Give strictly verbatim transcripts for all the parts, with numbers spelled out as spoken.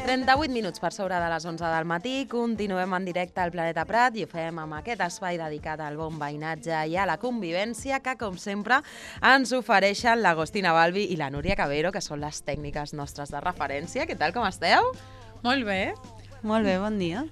trenta-vuit minuts per sobre de les onze del matí, continuem en directe al Planeta Prat i ho fem amb aquest espai dedicat al bon veïnatge i a la convivència que, com sempre, ens ofereixen l'Agostina Balbi i la Núria Cabero, que són les tècniques nostres de referència. Què tal, com esteu? Molt bé. Molt bé, bon dia.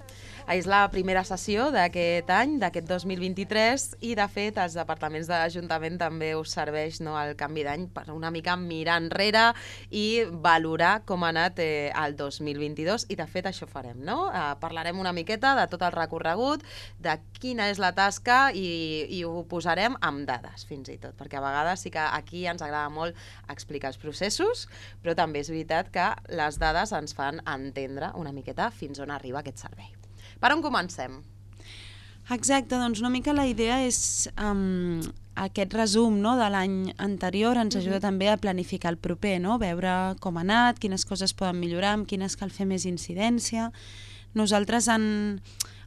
És la primera sessió d'aquest any, d'aquest dos mil vint-i-tres, i de fet els departaments de l'Ajuntament també us serveix, no, el canvi d'any per una mica mirar enrere i valorar com ha anat eh, el dos mil vint-i-dos, i de fet això farem, no? Eh, parlarem una miqueta de tot el recorregut, de quina és la tasca i, i ho posarem amb dades fins i tot, perquè a vegades sí que aquí ens agrada molt explicar els processos, però també és veritat que les dades ens fan entendre una miqueta fins on arriba aquest servei. Per on comencem? Exacte, doncs una mica la idea és um, aquest resum, no, de l'any anterior ens ajuda uh-huh. també a planificar el proper, no? Veure com ha anat, quines coses poden millorar, amb quines cal fer més incidència. Nosaltres en,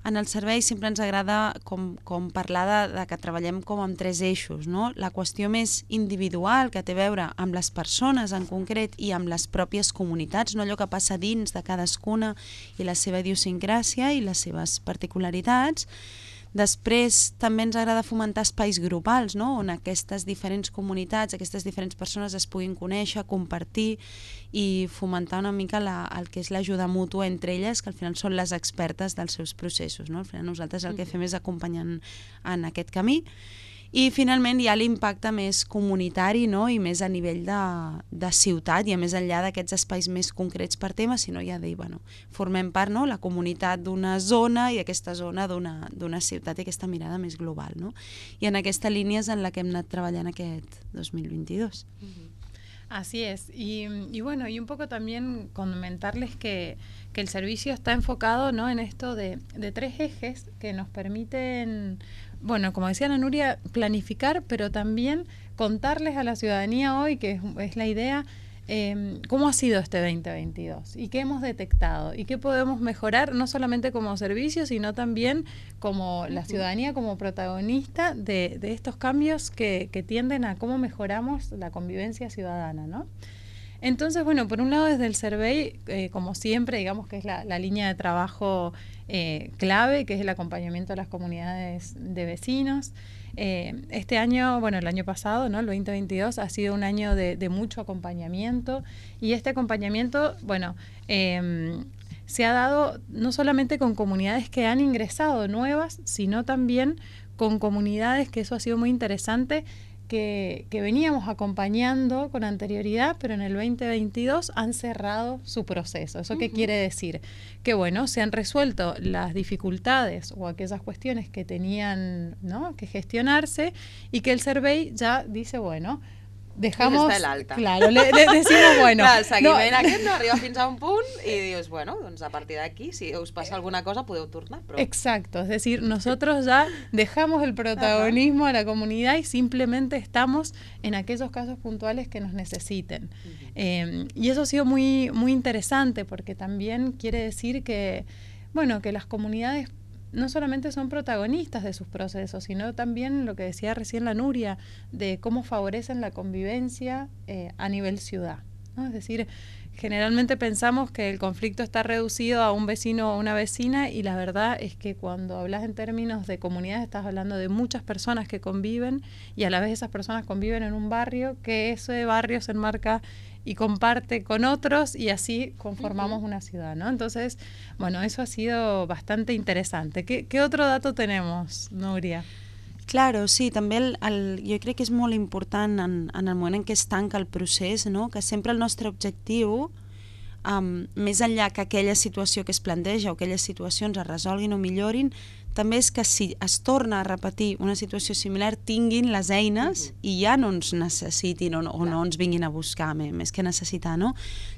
en el servei sempre ens agrada com, com parlar de, de que treballem com amb tres eixos, no? La qüestió més individual, que té a veure amb les persones en concret i amb les pròpies comunitats, no allò que passa dins de cadascuna i la seva idiosincràsia i les seves particularitats. Després també ens agrada fomentar espais grupals, no? On aquestes diferents comunitats, aquestes diferents persones es puguin conèixer, compartir i fomentar una mica la, el que és l'ajuda mútua entre elles, que al final són les expertes dels seus processos, no? Al final nosaltres el que fem és acompanyar en aquest camí. I finalment hi ha l'impacte més comunitari, no? I més a nivell de, de ciutat, i a més enllà d'aquests espais més concrets per tema, sinó ja dir, bueno, formem part, no? La comunitat d'una zona i aquesta zona d'una d'una ciutat i aquesta mirada més global, no? I en aquesta línia és en la que hem anat treballant aquest dos mil vint-i-dos. Uh-huh. Así es, y, y bueno, y un poco también comentarles que, que el servicio está enfocado, ¿no?, en esto de, de tres ejes que nos permiten, bueno, como decía Ana Nuria, planificar, pero también contarles a la ciudadanía hoy, que es, es la idea, eh, cómo ha sido este veinte veintidós y qué hemos detectado y qué podemos mejorar, no solamente como servicio, sino también como la ciudadanía, como protagonista de, de estos cambios que, que tienden a cómo mejoramos la convivencia ciudadana, ¿no? Entonces, bueno, por un lado desde el survey, eh, como siempre, digamos que es la, la línea de trabajo eh, clave, que es el acompañamiento a las comunidades de vecinos. Eh, este año, bueno, el año pasado, ¿no?, el veinte veintidós, ha sido un año de, de mucho acompañamiento, y este acompañamiento, bueno, eh, se ha dado no solamente con comunidades que han ingresado nuevas, sino también con comunidades, que eso ha sido muy interesante, Que, que veníamos acompañando con anterioridad, pero en el veinte veintidós han cerrado su proceso. ¿Eso qué uh-huh. quiere decir? Que bueno, se han resuelto las dificultades o aquellas cuestiones que tenían, ¿no?, que gestionarse, y que el survey ya dice, bueno, dejamos... Des de l'alta. Claro, le, le decimos, bueno... Clar, el seguiment no, aquest no arriba fins a un punt i dius, bueno, doncs a partir d'aquí, si us passa alguna cosa, podeu tornar. Però... Exacto, es decir, nosotros ya dejamos el protagonismo a la comunidad y simplemente estamos en aquellos casos puntuales que nos necesiten. Uh-huh. eh, y eso ha sido muy, muy interesante, porque también quiere decir que, bueno, que las comunidades no solamente son protagonistas de sus procesos, sino también lo que decía recién la Nuria, de cómo favorecen la convivencia eh, a nivel ciudad, ¿no? Es decir, generalmente pensamos que el conflicto está reducido a un vecino o una vecina, y la verdad es que cuando hablas en términos de comunidad estás hablando de muchas personas que conviven, y a la vez esas personas conviven en un barrio, que ese barrio se enmarca y comparte con otros, y así conformamos uh-huh. una ciudad, ¿no? Entonces, bueno, eso ha sido bastante interesante. ¿Qué, qué otro dato tenemos, Núria? Claro, sí, també el, el, jo crec que és molt important en, en el moment en què es tanca el procés, no?, que sempre el nostre objectiu, um, més enllà que aquella situació que es planteja o aquelles situacions es resolguin o millorin, també és que si es torna a repetir una situació similar tinguin les eines uh-huh. i ja no ens necessitin o no, o no ens vinguin a buscar, més que necessitar, no?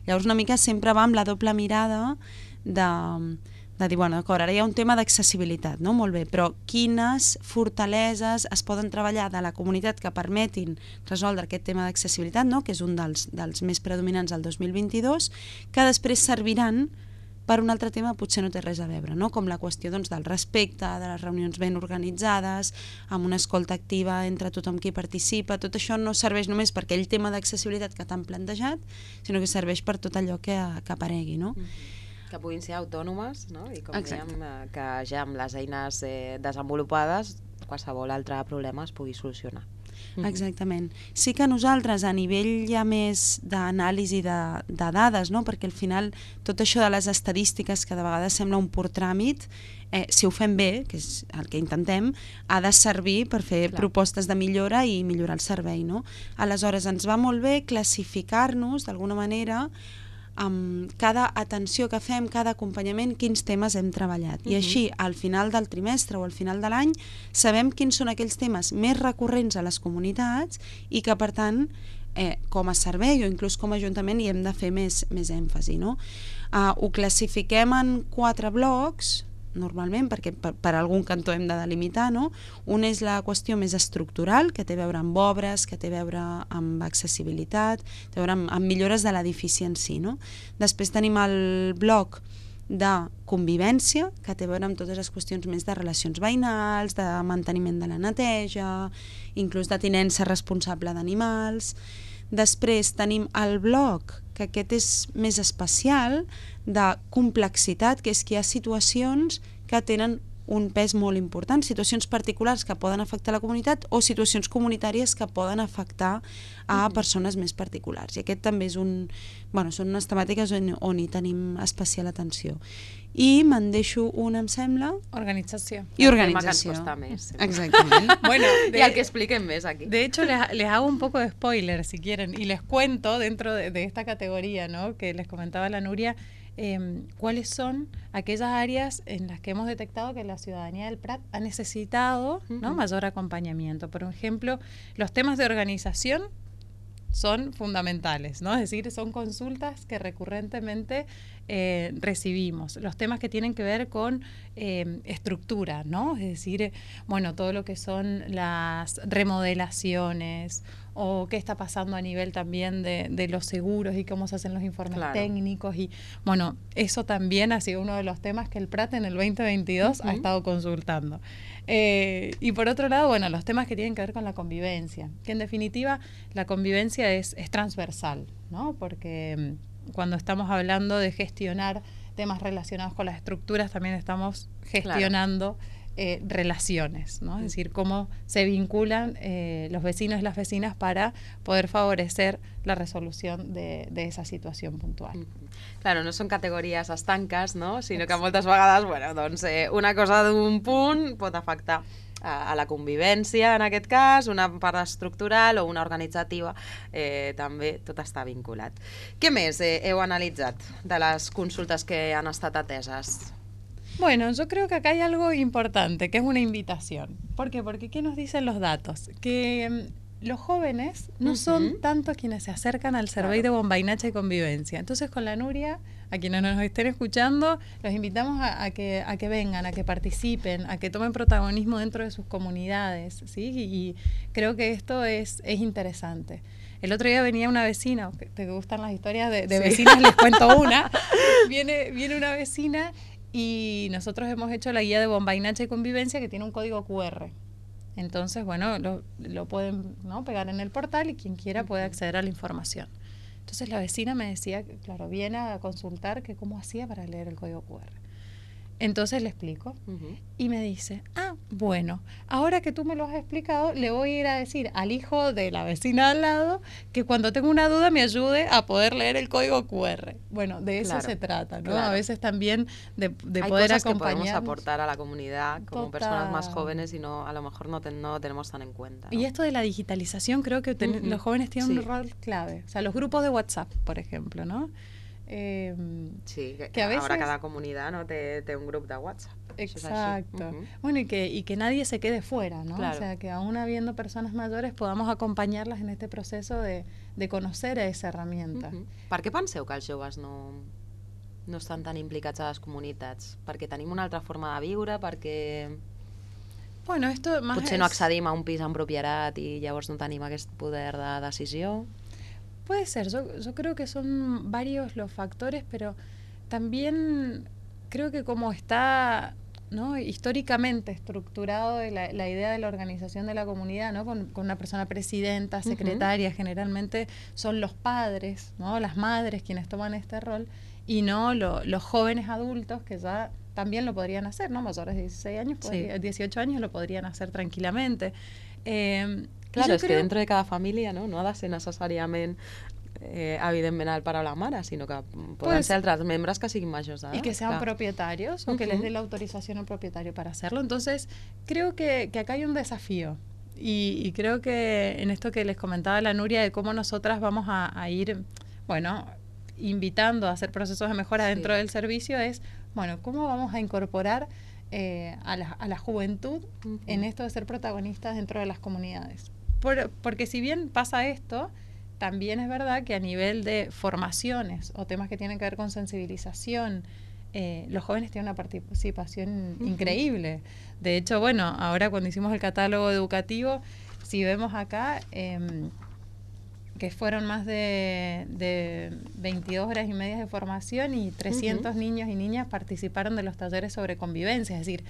Llavors una mica sempre va amb la doble mirada de, de dir, bueno, d'acord, ara hi ha un tema d'accessibilitat, no? Molt bé, però quines fortaleses es poden treballar de la comunitat que permetin resoldre aquest tema d'accessibilitat, no?, que és un dels, dels més predominants del dos mil vint-i-dos, que després serviran per un altre tema potser no té res a veure, no? Com la qüestió, doncs, del respecte, de les reunions ben organitzades, amb una escolta activa entre tothom qui participa. Tot això no serveix només per aquell tema d'accessibilitat que t'han plantejat, sinó que serveix per tot allò que, que aparegui, no? Mm-hmm. Que puguin ser autònomes, no? I com Exacte. dèiem, eh, que ja amb les eines eh, desenvolupades qualsevol altre problema es pugui solucionar. Exactament. Sí que nosaltres a nivell ja més d'anàlisi de, de dades, no? Perquè al final tot això de les estadístiques que de vegades sembla un pur tràmit, eh, si ho fem bé, que és el que intentem, ha de servir per fer Clar. propostes de millora i millorar el servei, no? Aleshores ens va molt bé classificar-nos d'alguna manera amb cada atenció que fem, cada acompanyament, quins temes hem treballat. I així, al final del trimestre o al final de l'any, sabem quins són aquells temes més recurrents a les comunitats i que, per tant, eh, com a servei o inclús com a ajuntament hi hem de fer més, més èmfasi. No? Uh, ho classifiquem en quatre blocs, normalment, perquè per, per algun cantó hem de delimitar, no? Un és la qüestió més estructural, que té a veure amb obres, que té a veure amb accessibilitat, té a veure amb, amb millores de l'edifici en si, no? Després tenim el bloc de convivència, que té a veure amb totes les qüestions més de relacions veïnals, de manteniment de la neteja, inclús de tinença responsable d'animals. Després tenim el bloc, que aquest és més especial, de complexitat, que és que hi ha situacions que tenen un pes molt important, situacions particulars que poden afectar la comunitat o situacions comunitàries que poden afectar a persones més particulars. I aquest també és un... Bueno, són unes temàtiques on, on hi tenim especial atenció. I me'n deixo una, em sembla... Organització. I organització. El tema que ens costa més. Exactament. Bueno, De, y al que expliquen més aquí. De hecho, les, les hago un poco de spoiler, si quieren, y les cuento dentro de, de esta categoría, ¿no?, que les comentaba la Nuria, eh, cuáles son aquellas áreas en las que hemos detectado que la ciudadanía del Prat ha necesitado, ¿no?, mayor acompañamiento. Por ejemplo, los temas de organización son fundamentales, ¿no? Es decir, son consultas que recurrentemente eh, recibimos. Los temas que tienen que ver con eh, estructura, ¿no? Es decir, bueno, todo lo que son las remodelaciones o qué está pasando a nivel también de, de los seguros y cómo se hacen los informes Claro. técnicos. Y bueno, eso también ha sido uno de los temas que el Prat en el veinte veintidós uh-huh. ha estado consultando. Eh, y por otro lado, bueno, los temas que tienen que ver con la convivencia, que en definitiva la convivencia es, es transversal, ¿no? Porque mm, cuando estamos hablando de gestionar temas relacionados con las estructuras, también estamos gestionando claro. eh, relaciones, ¿no? Es decir, cómo se vinculan eh, los vecinos y las vecinas para poder favorecer la resolución de, de esa situación puntual. Claro, no són categories estanques, no? Sinó que moltes vegades, bueno, doncs, eh, una cosa d'un punt pot afectar a, a la convivència, en aquest cas, una part estructural o una organitzativa, eh, també tot està vinculat. Què més eh, heu analitzat de les consultes que han estat ateses? Bueno, yo creo que acá hay algo importante, que es una invitación. ¿Por qué? Porque ¿qué nos dicen los datos? Que los jóvenes no uh-huh. son tanto quienes se acercan al Servei claro. de Bombainacha y Convivencia. Entonces, con la Nuria, a quienes nos estén escuchando, los invitamos a, a, que, a que vengan, a que participen, a que tomen protagonismo dentro de sus comunidades, ¿sí? Y, y creo que esto es, es interesante. El otro día venía una vecina, ¿te gustan las historias de, de sí. vecinas? Les cuento una. Viene, viene una vecina y nosotros hemos hecho la guía de Bombainacha y Convivencia que tiene un código cu erre. Entonces, bueno, lo, lo pueden, ¿no?, pegar en el portal y quien quiera puede acceder a la información. Entonces la vecina me decía, claro, viene a consultar que cómo hacía para leer el código cu erre. Entonces le explico uh-huh. y me dice, ah, bueno, ahora que tú me lo has explicado, le voy a ir a decir al hijo de la vecina al lado que cuando tengo una duda me ayude a poder leer el código cu erre. Bueno, de eso claro, se trata, ¿no? Claro. A veces también de, de Hay poder cosas acompañar. Que podemos aportar a la comunidad como Total. personas más jóvenes y no, a lo mejor no, te, no lo tenemos tan en cuenta, ¿no? Y esto de la digitalización creo que ten, uh-huh. los jóvenes tienen sí. un rol clave. O sea, los grupos de WhatsApp, por ejemplo, ¿no? Eh, sí, que, que a veces... ahora cada comunidad, ¿no?, té, té un grup de WhatsApp. Exacto. Uh-huh. Bueno, y que, y que nadie se quede fuera, ¿no? Claro. O sea, que aún habiendo personas mayores podamos acompañarlas en este proceso de, de conocer a esa herramienta. Uh-huh. Per què penseu que els joves no, no estan tan implicats a les comunitats? Perquè tenim una altra forma de viure, perquè... Bueno, esto más potser es... no accedim a un pis en propietat i llavors no tenim aquest poder de decisió. Puede ser, yo, yo creo que son varios los factores, pero también creo que como está, ¿no?, históricamente estructurado la, la idea de la organización de la comunidad, ¿no?, con, con una persona presidenta, secretaria, uh-huh. generalmente son los padres, ¿no?, las madres quienes toman este rol, y no lo, los jóvenes adultos que ya también lo podrían hacer, ¿no? Mayores de dieciséis años, podría, sí. dieciocho años lo podrían hacer tranquilamente. Eh, claro, és creo... que dentro de cada família, no, no ha de ser necessàriament eh, evidentment el pare o la mare, sinó que poden pues, ser altres membres que siguin majors d'edat. Y que sean claro. propietarios o uh-huh. que les dé la autorización al propietario para hacerlo. Entonces, creo que, que acá hay un desafío. Y, y creo que en esto que les comentaba la Nuria de cómo nosotras vamos a, a ir, bueno, invitando a hacer procesos de mejora sí. dentro del servicio es, bueno, cómo vamos a incorporar eh, a, la, a la juventud uh-huh. en esto de ser protagonistas dentro de las comunidades. Por, porque si bien pasa esto, también es verdad que a nivel de formaciones o temas que tienen que ver con sensibilización, eh, los jóvenes tienen una participación uh-huh. increíble. De hecho, bueno, ahora cuando hicimos el catálogo educativo, si vemos acá, eh, que fueron más de, de veintidós horas y media de formación y trescientos uh-huh. niños y niñas participaron de los talleres sobre convivencia. Es decir,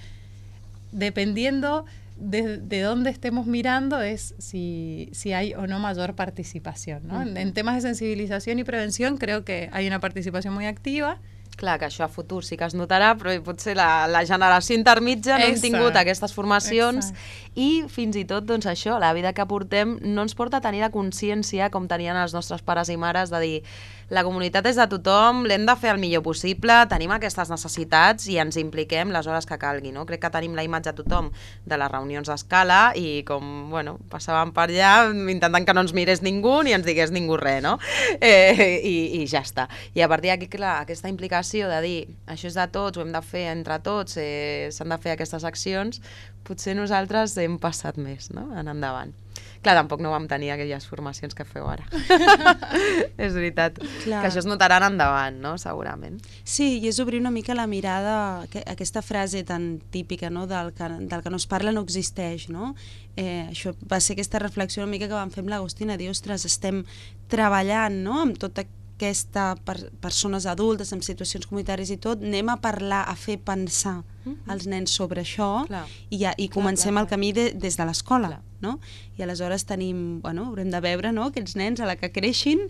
dependiendo de, de dónde estemos mirando es si, si hay o no mayor participación, ¿no? Uh-huh. en, en temas de sensibilización y prevención creo que hay una participación muy activa. Clar, que això a futur sí que es notarà, però potser la, la generació intermitja no hem tingut aquestes formacions Exacte. I fins i tot, doncs això, la vida que portem no ens porta a tenir la consciència com tenien els nostres pares i mares de dir la comunitat és de tothom, l'hem de fer el millor possible, tenim aquestes necessitats i ens impliquem les hores que calgui, no? Crec que tenim la imatge a tothom de les reunions a escala i com, bueno, passàvem per allà intentant que no ens mirés ningú ni ens digués ningú res, no? Eh, i, i ja està. I a partir d'aquí, clar, aquesta implicació de dir això és de tots, ho hem de fer entre tots, eh, s'han de fer aquestes accions, potser nosaltres hem passat més, no?, en endavant. Clar, tampoc no vam tenir aquelles formacions que feu ara. És veritat. Clar. Que això es notarà en endavant, no?, segurament. Sí, i és obrir una mica la mirada, que, aquesta frase tan típica, no?, del que, del que no es parla no existeix, no? Eh, això va ser aquesta reflexió una mica que vam fer amb l'Agustina, dir, ostres, estem treballant, no?, amb tota aquesta per, persones adultes en situacions comunitàries i tot, anem a parlar, a fer pensar mm-hmm. els nens sobre això clar. i, ja, i comencem clar, clar, clar. el camí de, des de l'escola, no? I aleshores tenim, bueno, haurem de veure, no?, aquests nens a la que creixin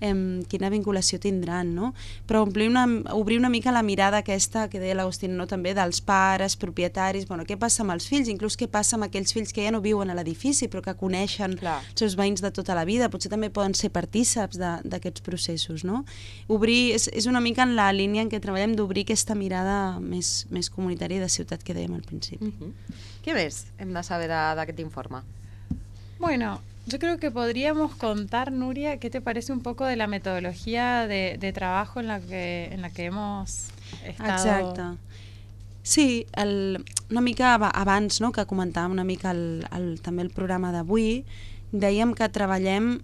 eh, quina vinculació tindran, no? Però omplir una, obrir una mica la mirada aquesta que deia l'Agustina, no?, també dels pares, propietaris, bueno, què passa amb els fills, inclús què passa amb aquells fills que ja no viuen a l'edifici però que coneixen clar. els seus veïns de tota la vida, potser també poden ser partíceps d'aquests processos, no? Obrir, és, és una mica en la línia en què treballem d'obrir aquesta mirada més, més comunitària de ciutat que dèiem al principi. Uh-huh. Què més hem de saber d'aquest informe? Bueno, yo creo que podríamos contar, Nuria, ¿qué te parece un poco de la metodología de, de trabajo en la que, en la que hemos estado? Exacte. Sí, el, una mica abans, no?, que comentàvem una mica el, el, també el programa d'avui, dèiem que treballem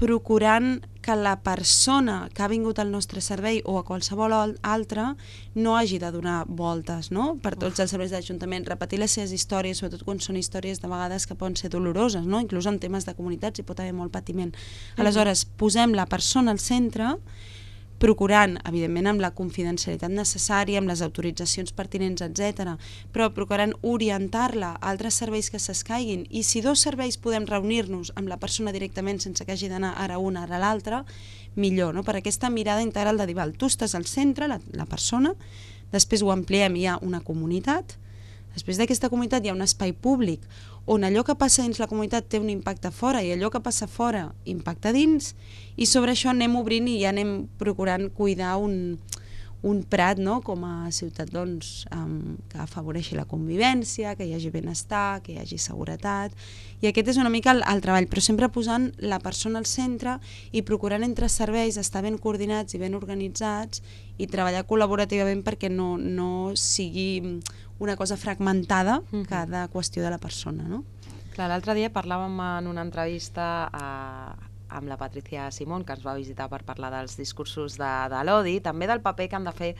procurant que la persona que ha vingut al nostre servei o a qualsevol altre no hagi de donar voltes, no?, per tots els serveis d'Ajuntament, repetir les seves històries, sobretot quan són històries de vegades que poden ser doloroses, no?, inclús en temes de comunitats hi pot haver molt patiment. Aleshores, posem la persona al centre, procurant, evidentment, amb la confidencialitat necessària, amb les autoritzacions pertinents, etcètera, però procurant orientar-la a altres serveis que s'escaiguin, i si dos serveis podem reunir-nos amb la persona directament sense que hagi d'anar ara un, ara l'altre, millor, no?, per aquesta mirada integral de dir, val, tu estàs al centre, la, la persona, després ho ampliem, hi ha una comunitat, després d'aquesta comunitat hi ha un espai públic on allò que passa dins la comunitat té un impacte fora i allò que passa fora impacta dins, i sobre això anem obrint i ja anem procurant cuidar un, un prat, no?, com a ciutat, doncs, um, que afavoreixi la convivència, que hi hagi benestar, que hi hagi seguretat, i aquest és una mica el, el treball, però sempre posant la persona al centre i procurant entre serveis estar ben coordinats i ben organitzats i treballar col·laborativament perquè no, no sigui una cosa fragmentada, mm-hmm. cada qüestió de la persona, no? Clar, l'altre dia parlàvem en una entrevista a, amb la Patricia Simón, que ens va visitar per parlar dels discursos de, de l'odi, també del paper que han de fer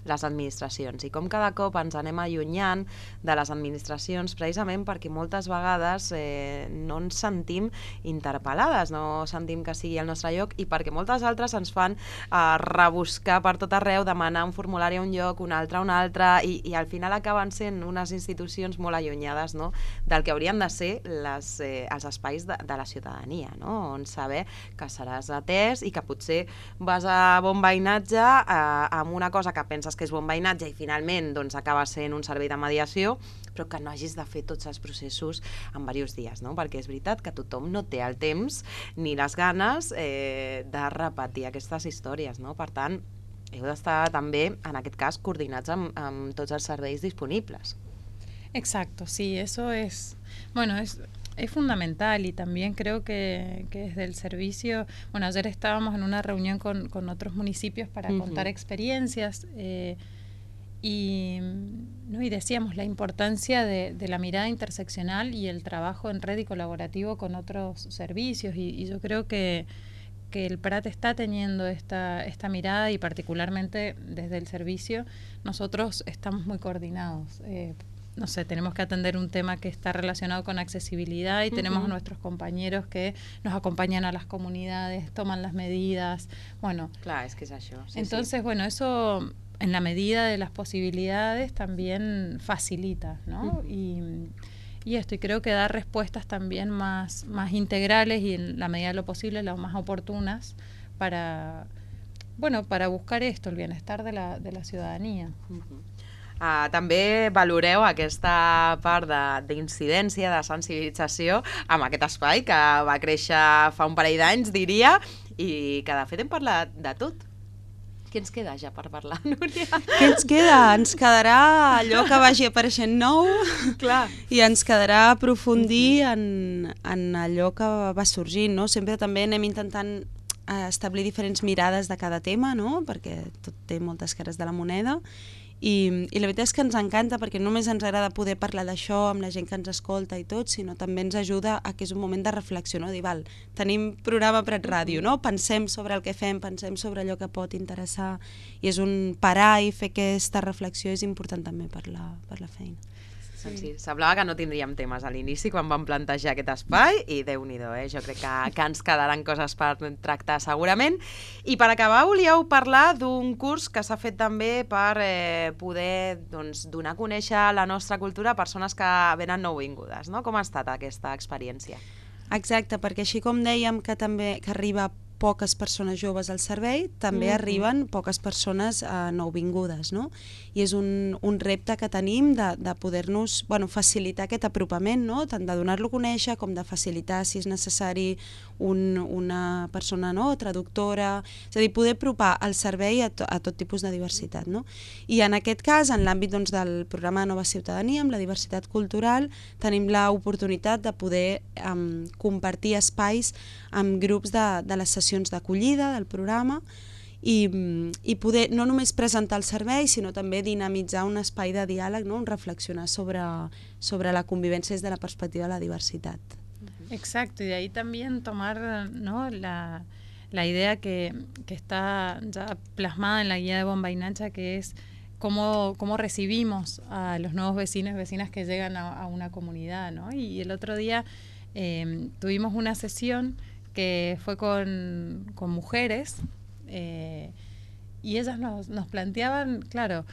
les administracions i com cada cop ens anem allunyant de les administracions precisament perquè moltes vegades eh, no ens sentim interpel·lades, no sentim que sigui el nostre lloc i perquè moltes altres ens fan eh, rebuscar per tot arreu, demanar un formulari a un lloc, un altre a un altre i, i al final acaben sent unes institucions molt allunyades, no?, del que haurien de ser les, eh, els espais de, de la ciutadania, no?, on saber que seràs atès i que potser vas a bon veïnatge eh, amb una cosa que penses que és bon veïnatge i finalment doncs, acaba sent un servei de mediació, però que no hagis de fer tots els processos en diversos dies, no? Perquè és veritat que tothom no té el temps ni les ganes eh, de repetir aquestes històries, no? Per tant, heu d'estar també, en aquest cas, coordinats amb, amb tots els serveis disponibles. Exacto, sí, eso es, bueno, es, es fundamental y también creo que, que desde el servicio, bueno, ayer estábamos en una reunión con, con otros municipios para uh-huh. contar experiencias eh, y, ¿no? y decíamos la importancia de, de la mirada interseccional y el trabajo en red y colaborativo con otros servicios y, y yo creo que que el Prat está teniendo esta, esta mirada y particularmente desde el servicio nosotros estamos muy coordinados. Eh, no sé, tenemos que atender un tema que está relacionado con accesibilidad y uh-huh. tenemos a nuestros compañeros que nos acompañan a las comunidades, toman las medidas, bueno. Claro, es que es eso. Sí, entonces, sí. bueno, eso en la medida de las posibilidades también facilita, ¿no? Uh-huh. Y... Y esto, y creo que da respuestas también más, más integrales y en la medida de lo posible las más oportunas para, bueno, para buscar esto, el bienestar de la, de la ciudadanía. Uh-huh. Uh, també valoreu aquesta part d'incidència, de, de sensibilització amb aquest espai que va créixer fa un parell d'anys, diria, i que de fet hem parlat de tot. Què ens queda ja per parlar, Núria? Què ens queda? Ens quedarà allò que vagi apareixent nou. Clar. I ens quedarà aprofundir en, en allò que va sorgint, no? Sempre també anem intentant establir diferents mirades de cada tema, no? Perquè tot té moltes cares de la moneda. I, i la veritat és que ens encanta perquè no només ens agrada poder parlar d'això amb la gent que ens escolta i tot, sinó també ens ajuda a que és un moment de reflexió, no? Dir, val, tenim programa Prat Ràdio, no? Pensem sobre el que fem, pensem sobre allò que pot interessar i és un parar i fer aquesta reflexió és important també per la, per la feina. Sí. Sí, semblava que no tindríem temes a l'inici quan vam plantejar aquest espai i Déu-n'hi-do, eh? Jo crec que, que ens quedaran coses per tractar segurament. I per acabar volíeu parlar d'un curs que s'ha fet també per eh, poder doncs, donar a conèixer la nostra cultura a persones que venen nouvingudes, no? Com ha estat aquesta experiència? Exacte, perquè així com dèiem que també que arriba poques persones joves al servei, també mm-hmm. arriben poques persones eh, nouvingudes, no? I és un, un repte que tenim de, de poder-nos bueno, facilitar aquest apropament, no? Tant de donar-lo a conèixer com de facilitar, si és necessari, un, una persona no? traductora, és a dir, poder apropar el servei a, to, a tot tipus de diversitat, no? I en aquest cas, en l'àmbit doncs, del programa Nova Ciutadania, amb la diversitat cultural, tenim l'oportunitat de poder um, compartir espais amb grups de, de les sessions d'acollida del programa i, i poder no només presentar el servei, sinó també dinamitzar un espai de diàleg, no? Un reflexionar sobre, sobre la convivència des de la perspectiva de la diversitat. Exacto, y de ahí también tomar, ¿no? la, la idea que, que está ya plasmada en la guía de Bombainacha, que es cómo, cómo recibimos a los nuevos vecinos y vecinas que llegan a, a una comunidad, ¿no? Y el otro día eh, tuvimos una sesión que fue con, con mujeres eh, y ellas nos, nos planteaban, claro,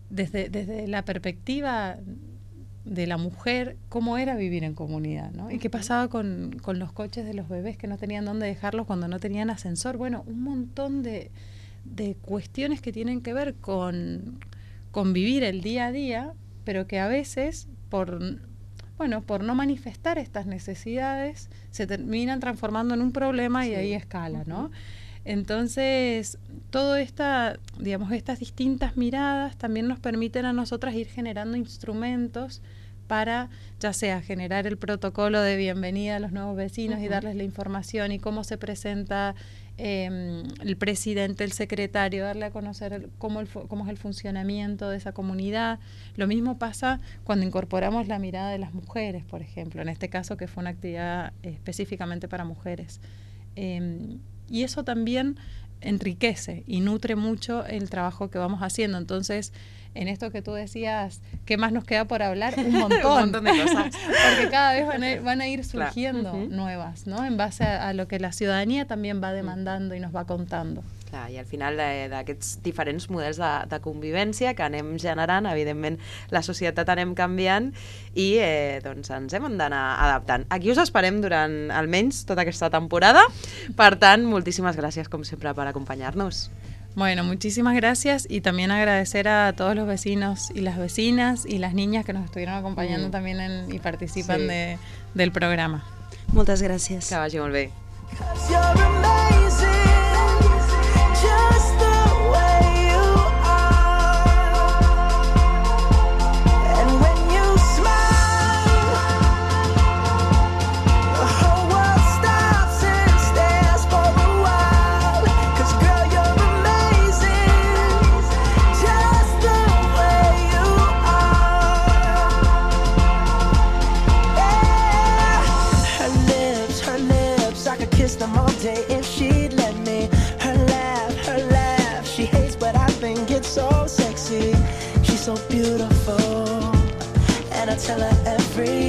desde, desde la perspectiva de la mujer, cómo era vivir en comunidad, ¿no? Y qué pasaba con, con los coches de los bebés que no tenían dónde dejarlos cuando no tenían ascensor. Bueno, un montón de, de cuestiones que tienen que ver con, con vivir el día a día, pero que a veces, por... bueno, por no manifestar estas necesidades, se terminan transformando en un problema y sí. ahí escala, ¿no? Entonces, todo esta, digamos, estas distintas miradas también nos permiten a nosotras ir generando instrumentos para, ya sea generar el protocolo de bienvenida a los nuevos vecinos uh-huh. y darles la información y cómo se presenta eh, el presidente, el secretario, darle a conocer el, cómo, el, cómo es el funcionamiento de esa comunidad. Lo mismo pasa cuando incorporamos la mirada de las mujeres, por ejemplo, en este caso que fue una actividad específicamente para mujeres. Eh, y eso también enriquece y nutre mucho el trabajo que vamos haciendo. Entonces, en esto que tú decías, ¿qué más nos queda por hablar? Un montón. Un montón de cosas. Porque cada vez van a, van a ir surgiendo Clar. nuevas, ¿no? En base a, a lo que la ciudadanía también va demandando y nos va contando. Clar, i al final d'aquests diferents models de, de convivència que anem generant, evidentment la societat anem canviant i eh, doncs ens hem d'anar adaptant. Aquí us esperem durant almenys tota aquesta temporada, per tant, moltíssimes gràcies com sempre per acompanyar-nos. Bueno, muchísimas gracias y también agradecer a todos los vecinos y las vecinas y las niñas que nos estuvieron acompañando mm. también en, y participan sí. de, del programa. Moltes gràcies. Que vagi molt bé. Just the way you are, and when you smile, the whole world stops and stares for a while. 'Cause girl, you're amazing, just the way you are. Yeah. Her lips, her lips, I could kiss them all day if she'd let me. So sexy, she's so beautiful, and I tell her every